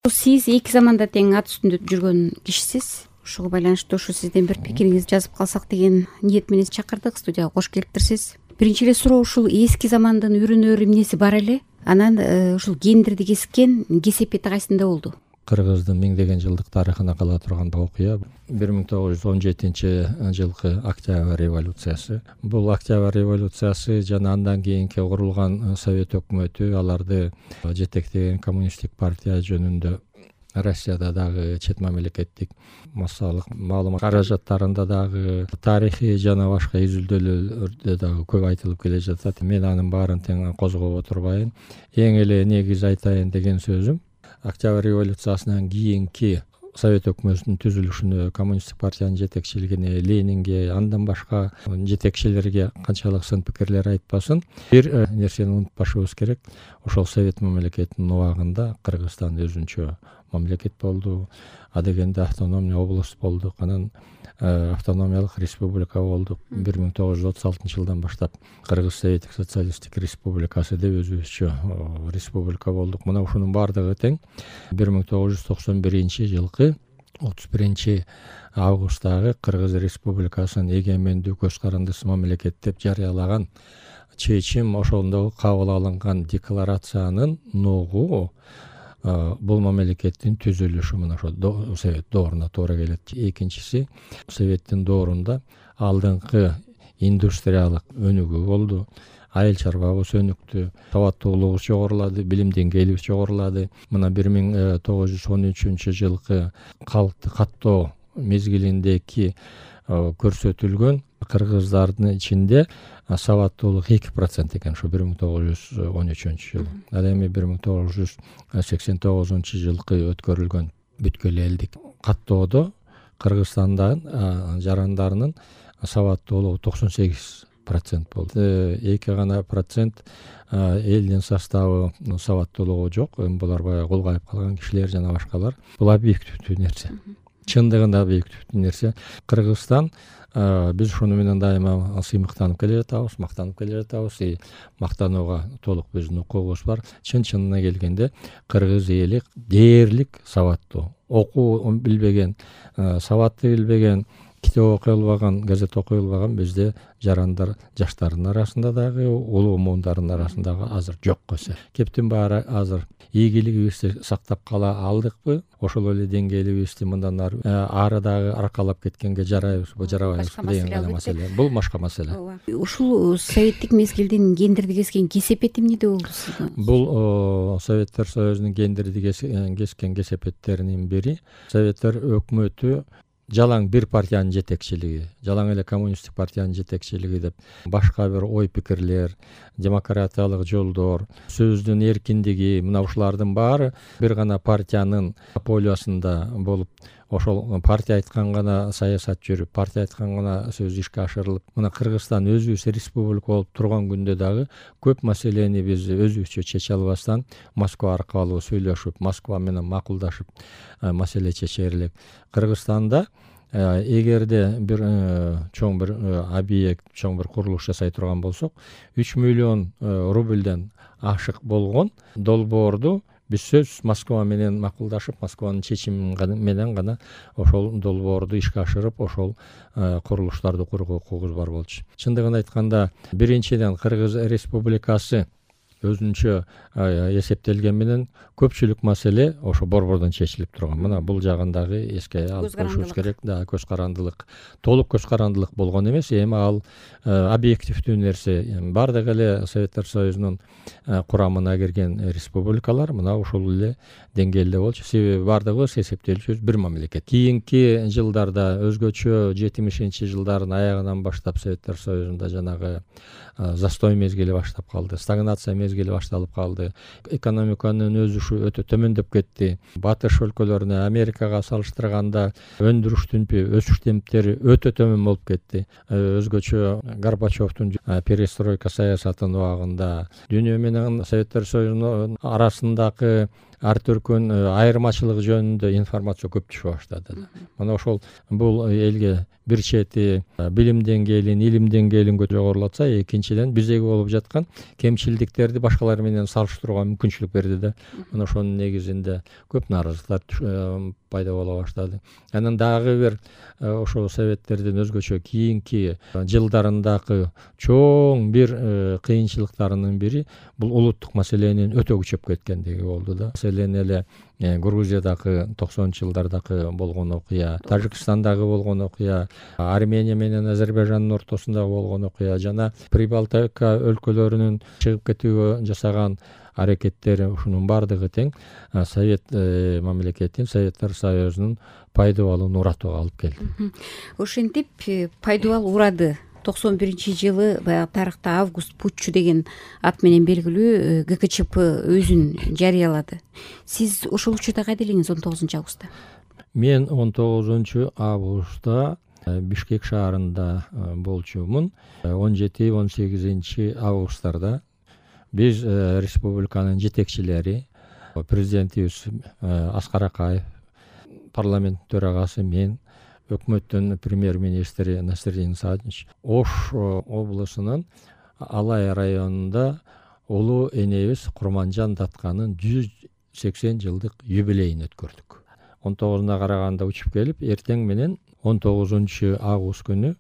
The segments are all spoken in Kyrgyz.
Сиз эки заманда тең ат үстүндө жүргөн кишисиз. Ушуга байланыштуу ушу сизден бир пикириңизди жазып калсак деген ниет менен чакырдык. Студияга кош келиптирсиз. Биринчи эле суроо, ушул эски замандын үрүнөр эмнеси бар эле? Анан ушул гендерди кескен кесепети кайсында болду? Кыргыздын миңдеген жылдык тарыхына кала турган окуя 1917 жылкы Октябрь революциясы. Бул Октябрь революциясы жана андан кийинки курулган Совет өкмөтү аларды жетектеген коммунисттик партия жөнүндө Россияда дагы чет мамлекеттик массалык маалымат каражаттарында дагы тарыхый жана башка изилдөөлөрдө дагы көп айтылып келе жатат. Мен анын баарын тең козгоп отурбайын. Эң эле негиз айтайын деген сөзүм, Октябрь революциясынан кийинки Совет өкмөтүнүн түзүлүшүнө, коммунисттик партиянын жетекчилигине, Ленинге, андан башка жетекчилерге канчалык сын пикирлер айтпасын, бир нерсени унутпашыбыз керек. Ошол Совет мамлекетинин убагында Кыргызстан өзүнчө мамлекет болду. Адегенде автономный область болдук. Анан автономиялык республика болдук. 1936 жылдан баштап Кыргыз Советтик социалисттик республикасы деп өзүбүзчө республика болдук. Мына ушунун баардыгы тең 1991 жылкы 31 августтагы Кыргыз республикасынын эгемендүү көз карандысыз мамлекет деп жарыялаган чечим, ошондо кабыл алынган декларациянын ногу бул мамлекеттин түзүлүшү мына ошо Совет дооруна туура келет. Экинчиси, Советтин доорунда алдыңкы индустриялык өнүгүү болду. Айыл чарбабыз өнүктү, сабаттуулугубуз жогорулады, билим деңгээлибиз жогорулады. Мына 1913 жылкы калкты каттоо мезгилиндеги көрсөтүлгөн кыргыздардын ичинде сабаттуулук 2% экен, ошо 1913 жылы. Ал эми 1989 жылкы өткөрүлгөн бүткүл элдик каттоодо Кыргызстандын жарандарынын сабаттуулугу 98% болду. 2 гана процент элдин составы сабаттуулугу жок. Булар баягы кулгайып калган кишилер жана башкалар. Бул объективдүү нерсе. Чындыгында объективдүү нерсе. Кыргызстан, биз ушуну менен дайыма сыймыктанып келе жатабыз, мактанып келе жатабыз. Мактанууга толук биздин укугубуз бар. Чын-чынына келгенде кыргыз эли дээрлик сабаттуу, окуу билбеген, сабатты билбеген, китеп окуй албаган, газет окуй албаган бизде жарандар, жаштардын арасында дагы, улуу муундарынын арасында азыр жок койсо. Кептин баары азыр ийгилигибизди сактап кала алдыкпы? Ошол эле деңгээлибизди мындан ары дагы аркалап кеткенге жарайбызбы, жарабайбызбы деген гана маселе. Бул башка маселе. Ушул советтик мезгилдин гендерди кескен кесепети эмнеде болду сизге? Бул Советтер Союзунун гендерди кескен кесепеттеринин бири Советтер өкмөтү жалаң бир партиянын жетекчилиги, жалаң эле коммунисттик партиянын жетекчилиги деп башка бир ой пикирлер, демократиялык жолдор, сөздүн эркиндиги, мына ушулардын баары бир гана партиянын полиясында болуп, ошол партия айткан гана саясат жүрүп, партия айткан гана сөз ишке ашырылып, мына Кыргызстан өзүбүз республика болуп турган күндө дагы көп маселени биз өзүбүзчө чече албастан Москва аркылуу сүйлөшүп, Москва менен макулдашып маселе чечер элек. Кыргызстанда эгерде бир чоң бир объект, чоң бир курулуш жасай турган болсок, 3 миллион рубльден ашык болгон долбоорду биз сөз Москва менен макулдашып, Москванын чечими менен гана ошол долбоорду ишке ашырып, ошол курулуштарды курууга укугубуз бар болчу. Чындыгын айтканда, биринчиден Кыргыз республикасы өзүнчө эсептелген менен көпчүлүк маселе ошо борбордон чечилип турган. Мына бул жагын дагы эске алып коюшубуз керек. Да, көз карандылык, толук көз карандылык болгон эмес, эми ал объективдүү нерсе. Бардык эле Советтер Союзунун курамына кирген республикалар мына ушул эле деңгээлде болчу. Себеби бардыгыбыз эсептелчүбүз бир мамлекет. Кийинки жылдарда өзгөчө 70-жылдардын аягынан баштап Советтер Союзунда жанагы застой мезгили баштап калды, стагнация мезгили башталып калды. Экономиканын өсүшү өтө төмөндөп кетти. Батыш өлкөлөрүнө, Америкага салыштырганда өндүрүш темпи, өсүш темптери өтө төмөн болуп кетти. Өзгөчө Горбачевдун перестройка саясатынын убагында дүйнө менен Советтер Союзунун арасындагы ар түркүн айырмачылыгы жөнүндө информация көп түшө баштады. Мына ошол бул элге бир чети билим деңгээлин, илим деңгээлин жогорулатса, экинчиден биздеги болуп жаткан кемчилдиктерди башкалар менен салыштырууга мүмкүнчүлүк берди да. Мына ошонун негизинде көп нааразычылыктар пайда боло баштады. Анан дагы бир ошол советтердин өзгөчө кийинки жылдарындагы чоң бир кыйынчылыктарынын бири бул улуттук маселенин өтө күчөп кеткендиги болду да. Маселен эле Грузиядагы 90-жылдардагы болгон окуя, Тажикстандагы болгон окуя, Армения менен Азербайжандын ортосундагы болгон окуя жана Прибалтика өлкөлөрүнүн чыгып кетүүгө жасаган аракеттери, ушунун баардыгы тең Совет мамлекетин, Советтер Союзунун пайдубалын уратууга алып келди. Ошентип пайдубал урады. 91-жылы баягы тарыхта Август Путчу деген ат менен белгилүү ГКЧП өзүн жарыялады. Сиз ошол учурда кайда элеңиз 19-августта? Мен 19-августта Бишкек шаарында болчумун. 17-18 августтарда биз республиканын жетекчилери, президентибиз Аскар Акаев, парламент төрагасы мен, өкмөттүн премьер-министри Насирдин Саатович Ош облусунун Алай районунда улуу энебиз Курманжан Датканын 180 жылдык юбилейин өткөрдүк. 19-уна караганда учуп келип, эртең менен 19-август күнү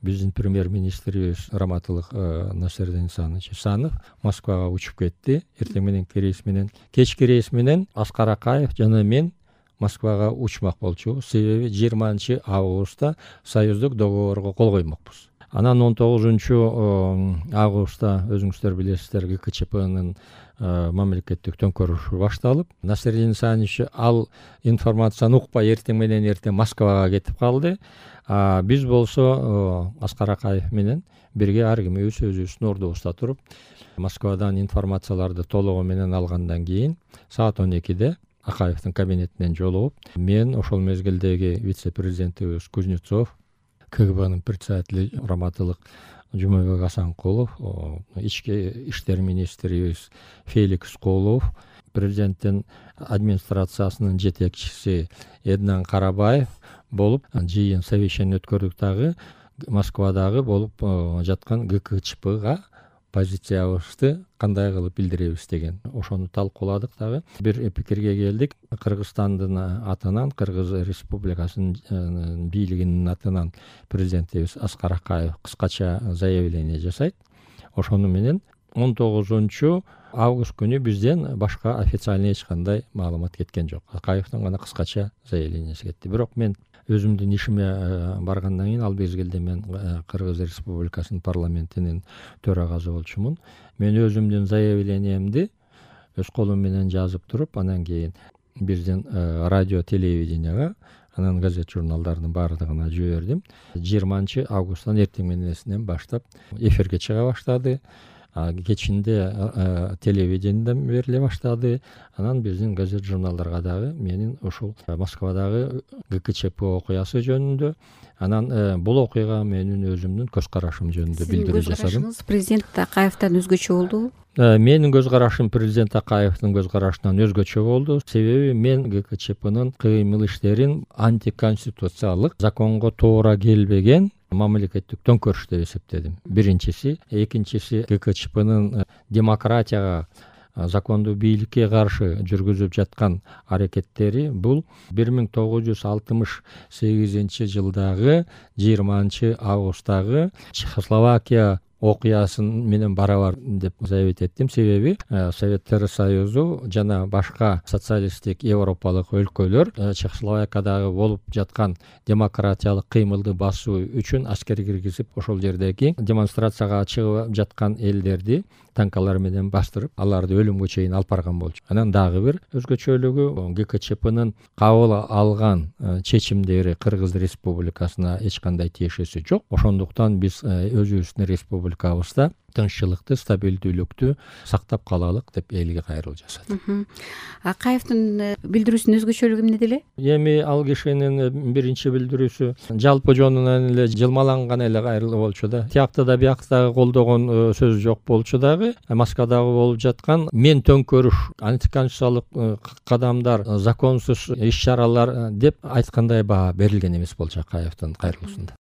биздин премьер-министрибиз Раматылык Насирдин Санов Москвага учуп кетти. Эртең менен рейс менен, кечки рейс менен Аскар Акаев жана мен Москвага учмак болчубуз. Себеби 20-августта союздук договорго кол коймокпуз. Анан 19-августта өзүңүздөр билесиздер, ГКЧПнын мамлекеттик төңкөрүшү башталып, Насирдин Саатович ал информацияны укпай эртең Москвага кетип калды. Биз болсо Аскар Акаев менен бирге ар кимибиз өзүбүздүн ордубузда туруп, Москвадан информацияларды толугу менен алгандан кийин саат 12-де Акаевдин кабинетинен жолугуп, мен ошол мезгилдеги вице-президентибиз Кузнецов, КГБнын председатели Раматылык Жумабек Асанкулов, ички иштер министрибиз Феликс Колов, президенттин администрациясынын жетекчиси Эднан Карабаев болуп жыйын совещание өткөрдүк. Дагы Москвадагы болуп жаткан ГКЧПга позициябызды кандай кылып билдиребиз деген ошону талкууладык. Дагы бир пикирге келдик. Кыргызстандын атынан, Кыргыз Республикасынын бийлигинин атынан президентибиз Аскар Акаев кыскача заявление жасайт. Ошону менен 19-август күнү бизден башка официальный эч кандай маалымат кеткен жок. Акаевдин гана кыскача заявленияси кетти. Бирок мен өзүмдүн ишиме баргандан кийин, ал мезгилде мен Кыргыз Республикасынын парламентинин төрагасы болчумун. Мен өзүмдүн заявлениемди өз колум менен жазып туруп, анан кийин биздин радио телевиденияга, анан газет журналдардын баардыгына жибердим. 20-августтан эртең мененен баштап эфирге чыга баштады. Кечинде телевидениеден бериле баштады. Анан биздин газет журналдарга дагы менин ушул Москвадагы ГКЧП окуясы жөнүндө, анан бул окуяга менин өзүмдүн көз карашым жөнүндө билдирүү жасадым. Көз карашыңыз президент Акаевден өзгөчө болду? Менин көз карашым президент Акаевдин көз карашынан өзгөчө болду. Себеби мен ГКЧПнын кыймыл иштерин антиконституциялык, законго туура келбеген мамлекеттик төңкөрүш деп эсептедим. Биринчиси, экинчиси ГКЧПнын демократияга, закондуу бийликке каршы жүргүзүп жаткан аракеттери бул 1968-жылдагы 20-августтагы Чехословакия окуясын менен барабар деп заявить эттим. Себеби Советтер Союзу жана башка социалисттик европалык өлкөлөр Чехословакиядагы болуп жаткан демократиялык кыймылды басуу үчүн аскер киргизип, ошол жердеги демонстрацияга чыгып жаткан элдерди танкалар менен бастырып, аларды өлүмгө чейин алып барган болчу. Анан дагы бир өзгөчөлүгү, ГКЧПнын кабыл алган чечимдери Кыргыз Республикасына эч кандай тиешеси жок. Ошондуктан биз өзүбүздүн республикабызда тынччылыкты, стабилдүүлүктү сактап калалык деп элге кайрылуу жасады. Акаевдин билдирүүсүнүн өзгөчөлүгү эмнеде эле? Эми ал кишинин биринчи билдирүүсү жалпы жонунан эле жылмаланган эле кайрылуу болчу да. Тиякта да биякта дагы колдогон сөз жок болчу дагы. Москвадагы болуп жаткан мен төңкөрүш, антиконституциялык кадамдар, законсуз иш чаралар деп айткандай баа берилген эмес болчу Акаевдин кайрылуусунда.